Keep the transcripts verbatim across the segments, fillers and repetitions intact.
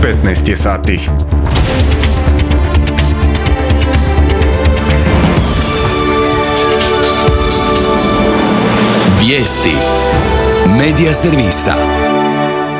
petnaest je sati. Vijesti Medija servisa.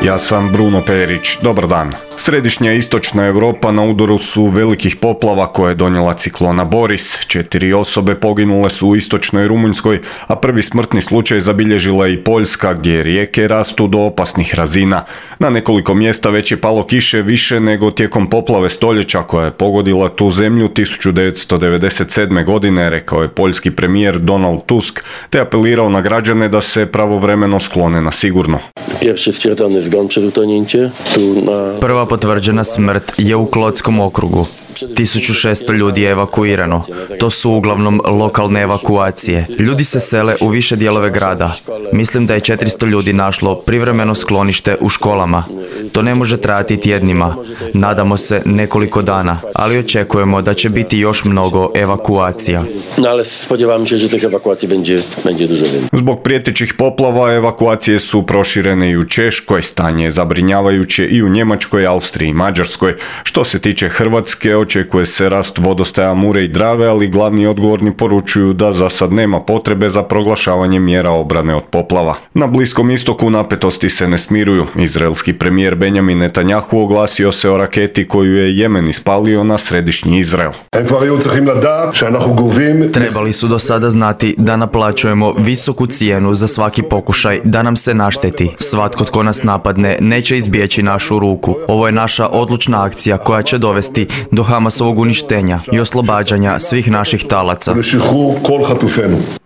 Ja sam Bruno Perić. Dobar dan. Središnja i istočna Europa na udaru su velikih poplava koje je donijela ciklona Boris. Četiri osobe poginule su u istočnoj Rumunjskoj, a prvi smrtni slučaj zabilježila je i Poljska, gdje rijeke rastu do opasnih razina. Na nekoliko mjesta već je palo kiše više nego tijekom poplave stoljeća koja je pogodila tu zemlju tisuću devetsto devedeset sedme. godine, rekao je poljski premijer Donald Tusk, te apelirao na građane da se pravovremeno sklone na sigurno. Prva potvrđena smrt je u Klotskom okrugu. tisuću šesto ljudi je evakuirano. To su uglavnom lokalne evakuacije. Ljudi se sele u više dijelove grada. Mislim da je četiristo ljudi našlo privremeno sklonište u školama. To ne može trajati tjednima. Nadamo se nekoliko dana, ali očekujemo da će biti još mnogo evakuacija. Zbog prijetećih poplava evakuacije su proširene i u Češkoj, stanje je zabrinjavajuće i u Njemačkoj, Austriji i Mađarskoj. Što se tiče Hrvatske, očekuje se rast vodostaja Mure i Drave, ali glavni odgovorni poručuju da za sad nema potrebe za proglašavanje mjera obrane od poplava. Na Bliskom istoku napetosti se ne smiruju. Izraelski premijer Benjamin Netanjahu oglasio se o raketi koju je Jemen ispalio na središnji Izrael. Trebali su do sada znati da naplaćujemo visoku cijenu za svaki pokušaj da nam se našteti. Svatko tko nas napadne neće izbjeći našu ruku. Ovo je naša odlučna akcija koja će dovesti do Hamasovog uništenja i oslobađanja svih naših talaca.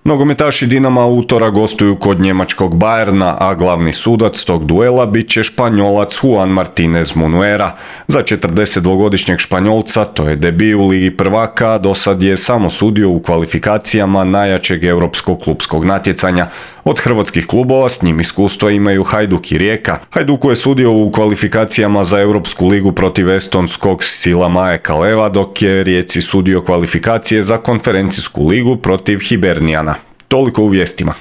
Nogometaši Dinama utora gostuju kod njemačkog Bayerna, a glavni sudac tog duela bit će Španjolac Juan Martinez Munuera. Za četrdesetdvogodišnjeg Španjolca to je debi u Ligi prvaka, do sad je samo sudio u kvalifikacijama najjačeg europskog klupskog natjecanja. Od hrvatskih klubova s njim iskustva imaju Hajduk i Rijeka. Hajduku je sudio u kvalifikacijama za Europsku ligu protiv estonskog Silamaje Kaleva, dok je Rijeci sudio kvalifikacije za konferencijsku ligu protiv Hibernijana. Toliko u vijestima.